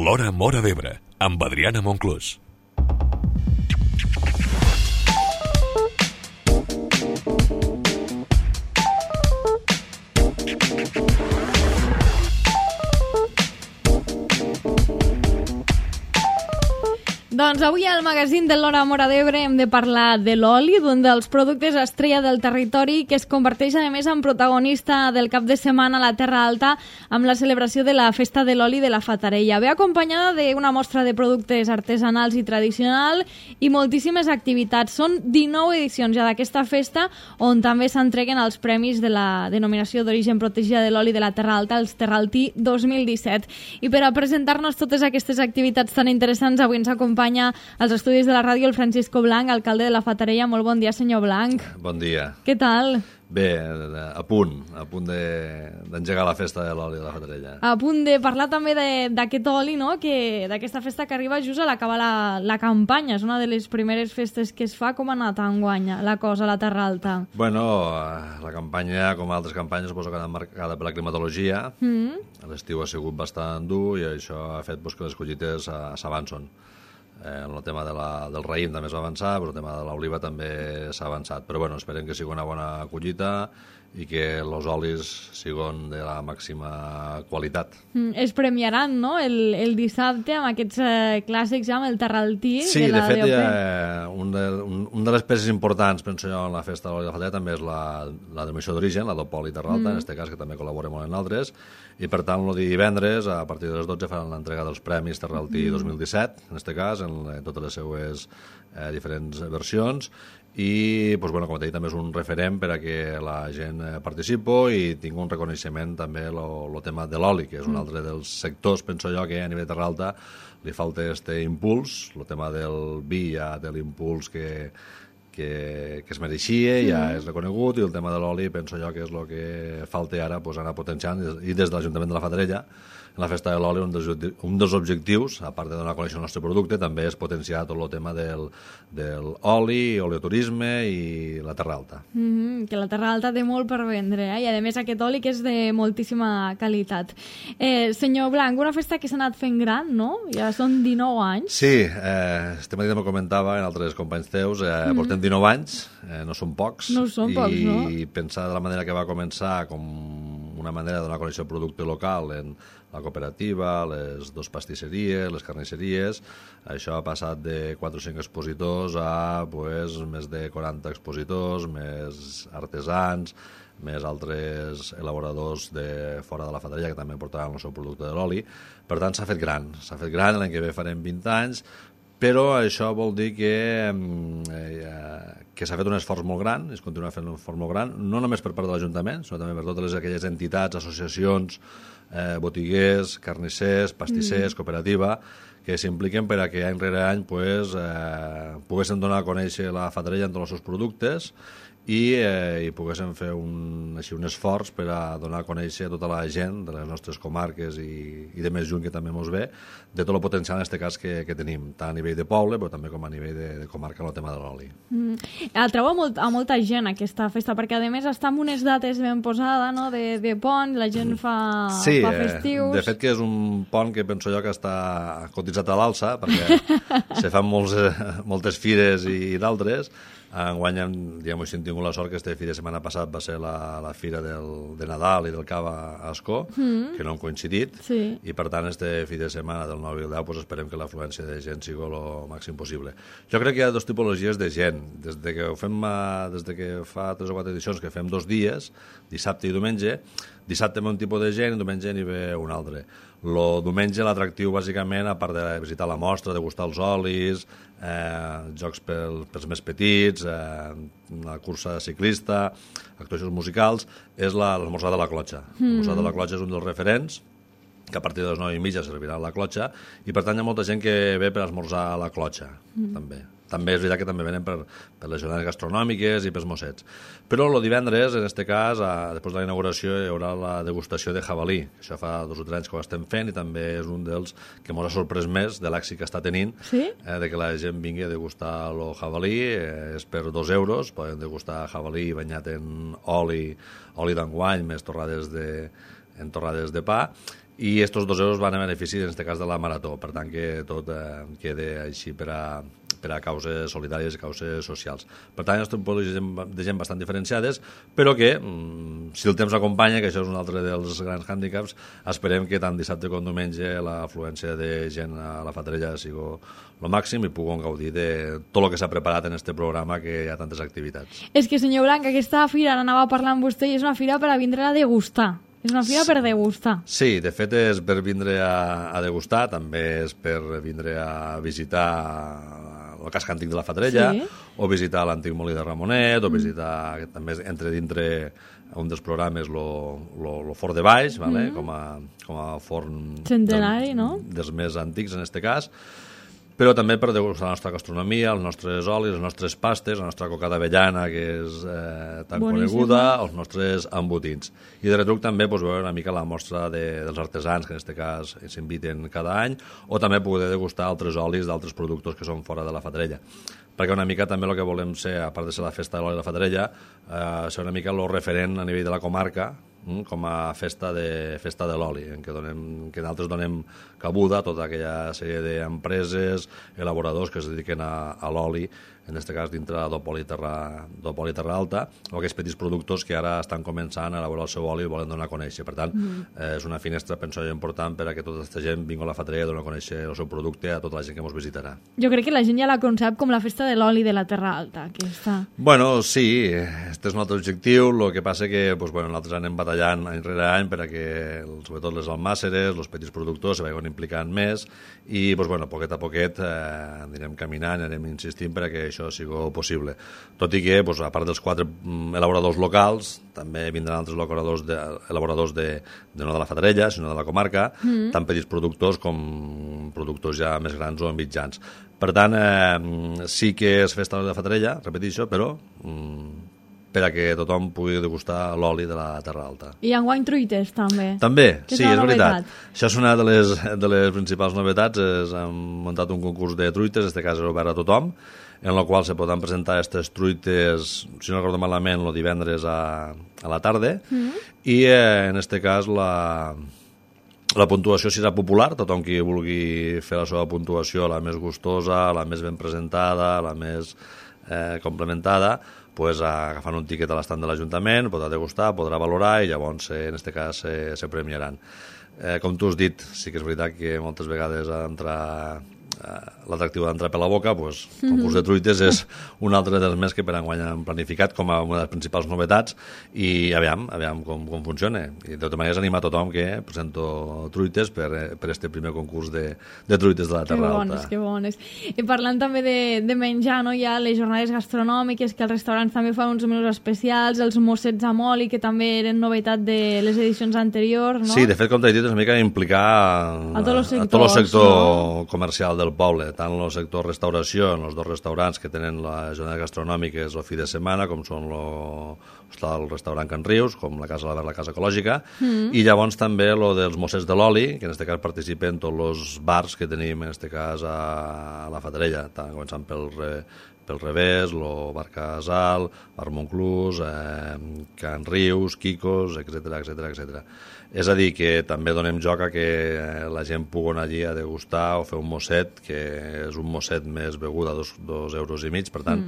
L'Hora Móra d'Ebre, amb Adriana Monclús. Doncs avui al magazín de l'Hora Móra d'Ebre hem de parlar de l'oli, d'un dels productes estrella del territori que es converteix a més en protagonista del cap de setmana a la Terra Alta amb la celebració de la Festa de l'Oli de la Fatarella. Ve acompanyada d'una mostra de productes artesanals i tradicional i moltíssimes activitats. Són 19 edicions ja d'aquesta festa on també s'entreguen els premis de la denominació d'origen protegida de l'oli de la Terra Alta, els Terraltí 2017. I per a presentar-nos totes aquestes activitats tan interessants, avui ens acompanya als estudis de la ràdio el Francisco Blanc, alcalde de la Fatarella. Molt bon dia, senyor Blanc. Bon dia. Què tal? Bé, a punt d'engegar la festa de l'oli de la Fatarella. A punt de parlar també d'aquest oli, no? D'aquesta festa que arriba just a l'acabar la campanya. És una de les primeres festes que es fa. Com ha anat enguany la cosa a la Terra Alta? Bueno, la campanya, com altres campanyes, suposo que ha anat marcada per la climatologia. L'estiu ha sigut bastant dur i això ha fet que les collites s'avancen. El tema del raïm també es va avançar, però el tema de l'oliva també s'ha avançat. Però bueno, esperem que sigui una bona collita i que els olis siguin de la màxima qualitat. Es premiaran, no?, el dissabte amb aquests clàssics, amb el Terraltí. Sí, de fet, una de les peces importants, penso jo, en la festa de l'oli de la Fatarella també és la denominació d'origen, la d'Opoli Terra Alta, en aquest cas, que també col·labora molt en altres, i per tant, el divendres, a partir de les 12, faran l'entrega dels premis Terraltí 2017, en aquest cas, en totes les seues diferents versions, i, com t'he dit, també és un referent per a que la gent participi i tingui un reconeixement també el tema de l'oli, que és un altre dels sectors, penso jo, que a nivell de Terra Alta li falta aquest impuls. El tema del vi ja té l'impuls que es mereixia, ja és reconegut, i el tema de l'oli penso jo que és el que falta ara anar potenciant, i des de l'Ajuntament de la Fatarella, en la festa de l'oli, un dels objectius, a part de donar a conèixer el nostre producte, també és potenciar tot el tema del oli, oleoturisme i la Terra Alta. Que la Terra Alta té molt per vendre, i a més aquest oli que és de moltíssima qualitat. Senyor Blanc, una festa que s'ha anat fent gran, no? Ja són 19 anys. Sí, este matí també comentava en altres companys teus, portem 19 anys, no són pocs. No són pocs, no? I pensar de la manera que va començar com una manera de donar a conèixer el producte local en la cooperativa, les dos pastisseries, les carnisseries, això ha passat de 4 o 5 expositors a més de 40 expositors, més artesans, més altres elaboradors de fora de la Fatarella que també portaran el seu producte de l'oli. Per tant, s'ha fet gran, l'any que ve farem 20 anys, però això vol dir que s'ha fet un esforç molt gran, es continua fent un esforç molt gran, no només per part de l'Ajuntament, sinó també per totes aquelles entitats, associacions, botiguers, carnissers, pastissers, cooperativa, que s'impliquen per a que any rere any poguessin donar a conèixer la Fatarella en tots els seus productes i poguéssim fer un esforç per a donar a conèixer a tota la gent de les nostres comarques i de més lluny que també ens ve, de tot el potencial en aquest cas que tenim, tant a nivell de poble però també com a nivell de comarca en el tema de l'oli. Atrau a molta gent aquesta festa, perquè a més està en unes dates ben posades, no? de pont, la gent fa festius. De fet que és un pont que penso jo que està cotitzat a l'alça, perquè se fan moltes fires i d'altres. Enguany hem tingut la sort que este fi de setmana passat va ser la fira de Nadal i del Cava a Ascó, que no han coincidit, i per tant este fi de setmana del 9 i el 10 esperem que l'afluència de gent sigui el màxim possible. Jo crec que hi ha dues tipologies de gent. Des que fa 3 o 4 edicions que fem 2 dies, dissabte i diumenge, dissabte ve un tipus de gent i diumenge n'hi ve un altre. El diumenge l'atractiu bàsicament, a part de visitar la mostra, de gustar els olis, jocs pels més petits, la cursa ciclista, actuacions musicals, és l'esmorzar de la clotxa. L'esmorzar de la clotxa és un dels referents, que a partir de les 9:30 servirà la clotxa, i per tant hi ha molta gent que ve per esmorzar a la clotxa, també. També és veritat que també venen per les jornades gastronòmiques i pels mossets. Però el divendres, en aquest cas, després de la inauguració, hi haurà la degustació de jabalí. Això fa 2 o 3 anys que ho estem fent i també és un dels que ens ha sorprès més de l'èxit que està tenint, de que la gent vingui a degustar el jabalí. És per 2 euros, poden degustar jabalí banyat en oli d'enguany, més torrades de pa, i aquests 2 euros van a benefici, en aquest cas, de la Marató. Per tant, que tot quede així per a causes solidàries i causes socials. Per tant, estem de gent bastant diferenciades, però que, si el temps acompanya, que això és un altre dels grans hàndicaps, esperem que tant dissabte com diumenge l'afluència de gent a la Fatarella sigui el màxim i puguem gaudir de tot el que s'ha preparat en aquest programa, que hi ha tantes activitats. És que, senyor Blanc, aquesta fira, anava a parlar amb vostè, i és una fira per a vindre a degustar. És una fira per degustar. Sí, de fet és per vindre a degustar, també és per vindre a visitar el casc antic de la Fatarella, o visitar l'antic molí de Ramonet, o visitar, també entre dintre un dels programes, lo Fort de Baix, vale? com a forn centenari, no? Dels més antics, en aquest cas, però també per degustar la nostra gastronomia, els nostres olis, les nostres pastes, la nostra coca d'avellana, que és tan coneguda, els nostres embotits. I de retruc també veure una mica la mostra dels artesans, que en aquest cas s'inviten cada any, o també poder degustar altres olis d'altres productors que són fora de la Fatarella. Perquè una mica també el que volem ser, a part de ser la festa de l'oli de la Fatarella, ser una mica el referent a nivell de la comarca, com a festa de l'oli, en què nosaltres donem cabuda a tota aquella sèrie d'empreses, elaboradors que es dediquen a l'oli, en aquest cas dintre d'Opoli Terra Alta, o aquells petits productors que ara estan començant a elaborar el seu oli i volen donar a conèixer. Per tant, és una finestra, penso jo, important per a que tota aquesta gent vingui a la Fatarella i doni a conèixer el seu producte a tota la gent que ens visitarà. Jo crec que la gent ja la concep com la festa de l'oli de la Terra Alta, aquesta. Bueno, sí, aquest és un altre objectiu, el que passa que nosaltres anem batallant any rere any per a que, sobretot les almàceres, els petits productors se vagin implicant més i, poquet a poquet, anirem caminant, anirem insistint per a que això sigui possible. Tot i que, a part dels 4 elaboradors locals, també vindran altres elaboradors no de la Fatarella, sinó de la comarca, tant petits productors com productors ja més grans o mitjans. Per tant, sí que és festa de la Fatarella, repeteixo, però per a que tothom pugui degustar l'oli de la Terra Alta. I enguany truites, també. També, sí, és veritat. Això és una de les principals novetats. Hem muntat un concurs de truites, en aquest cas és obert a tothom, en el qual se poden presentar aquestes truites, si no recordo malament, el divendres a la tarda, i en aquest cas la puntuació serà popular, tothom qui vulgui fer la seva puntuació la més gustosa, la més ben presentada, la més complementada, agafant un tiquet a l'estand de l'Ajuntament, podrà degustar, podrà valorar i llavors, en aquest cas, se premiaran. Com tu has dit, sí que és veritat que moltes vegades l'atractiu d'entrar per la boca, el concurs de truites és un altre dels més que per enguany han planificat com a una de les principals novetats i aviam com funciona. I de tota manera és animar a tothom que presento truites per este primer concurs de truites de la Terra Alta. Que bones. I parlant també de menjar, no? Hi ha les jornades gastronòmiques, que els restaurants també fan uns menús especials, els mossets amb oli, que també eren novetat de les edicions anteriors, no? Sí, de fet, com t'he dit, és una mica implicar a tot el sector comercial del poble, tant el sector restauració, en els 2 restaurants que tenen les jornades gastronòmiques el fi de setmana, com són el restaurant Can Rius, com la Casa la Casa Ecològica, i llavors també el dels mossets de l'oli, que en aquest cas participen tots els bars que tenim, en aquest cas, a la Fatarella, començant pel Revés, el Bar Casal, Bar Monclús, Can Rius, Quicos, etc. És a dir, que també donem joc a que la gent pugui anar allí a degustar o fer un mosset, que és un mosset més begut a 2,5 euros, per tant,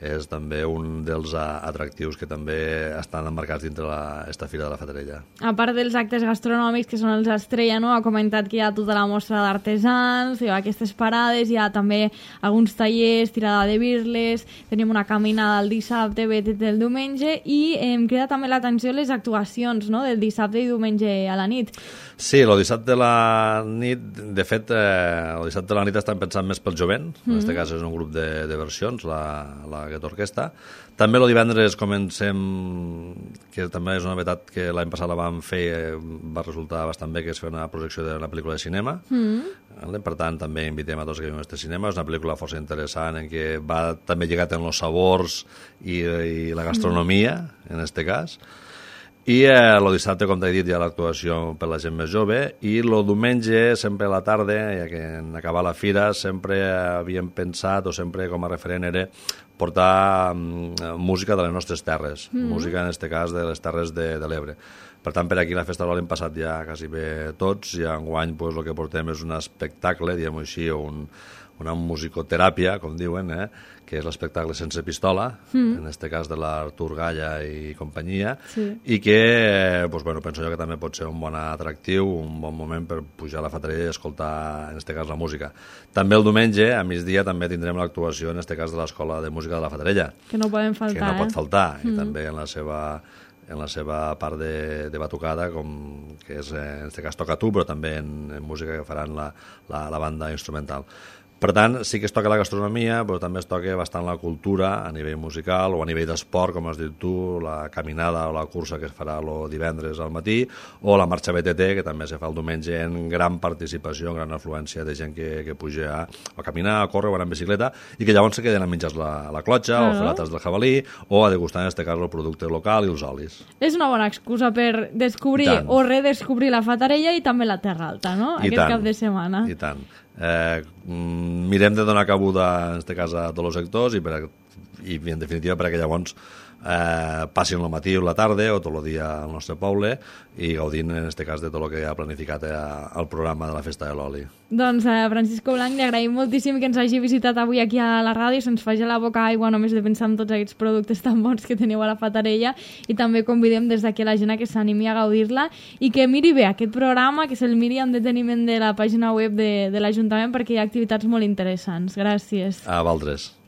és també un dels atractius que també estan emmarcats dintre aquesta Fira de la Fatarella. A part dels actes gastronòmics, que són els estrella, no? Ha comentat que hi ha tota la mostra d'artesans, hi ha aquestes parades, hi ha també alguns tallers, tirada de birles, tenim una caminada el dissabte, betet el diumenge, i em crida també l'atenció les actuacions, no? Del dissabte i diumenge a la nit. Sí, el dissabte a la nit, de fet, el dissabte a la nit estan pensant més pel jovent, en aquest cas és un grup de versions, la Gueto Orquestra. També el divendres comencem, que també és una novetat que l'any passat la vam fer, va resultar bastant bé, que és fer una projecció d'una pel·lícula de cinema. Per tant, també invitem a tots que vinguen a este cinema. És una pel·lícula força interessant, en què va també lligat en els sabors i la gastronomia, en aquest cas. I el dissabte, com t'he dit, hi ha l'actuació per la gent més jove, i el diumenge, sempre a la tarda, ja que en acabar la fira, sempre havíem pensat, o sempre com a referent era portar música de les nostres terres, música en aquest cas de les Terres de l'Ebre. Per tant, per aquí la festa de l'oli hem passat ja quasi bé tots, i enguany pues, el que portem és un espectacle, diguem-ho així, o una musicoteràpia, com diuen, que és l'espectacle Sense pistola, en aquest cas de l'Artur Galla i companyia, i que pues, bueno, penso jo que també pot ser un bon atractiu, un bon moment per pujar a la Fatarella i escoltar, en aquest cas, la música. També el diumenge, a migdia, també tindrem l'actuació, en aquest cas, de l'Escola de Música de la Fatarella. Que no poden faltar, que no pot faltar, i també en la seva part de batucada, que és, en aquest cas, Toca Tu, però també en música que faran la banda instrumental. Per tant, sí que es toca la gastronomia, però també es toca bastant la cultura a nivell musical o a nivell d'esport, com has dit tu, la caminada o la cursa que es farà el divendres al matí, o la marxa BTT, que també se fa el diumenge en gran participació, en gran afluència de gent que puja a caminar, a córrer o a anar en bicicleta, i que llavors se queden a menjar la clotxa, o fer la tas del jabalí, o a degustar, en aquest cas, el producte local i els olis. És una bona excusa per descobrir o redescobrir la Fatarella i també la Terra Alta, no? Aquest cap de setmana. I tant. Mirem de donar cabuda, en aquest cas, a tots els sectors i en definitiva, perquè llavors passin el matí o la tarda o tot el dia al nostre poble i gaudint, en aquest cas, de tot el que ha planificat el programa de la Festa de l'Oli. Doncs a Francisco Blanch li agraïm moltíssim que ens hagi visitat avui aquí a la ràdio i se'ns faci la boca aigua només de pensar en tots aquests productes tan bons que teniu a la Fatarella, i també convidem des d'aquí la gent que s'animi a gaudir-la i que miri bé aquest programa, que se'l miri amb deteniment de la pàgina web de l'Ajuntament, perquè hi ha activitats molt interessants. Gràcies. A vosaltres.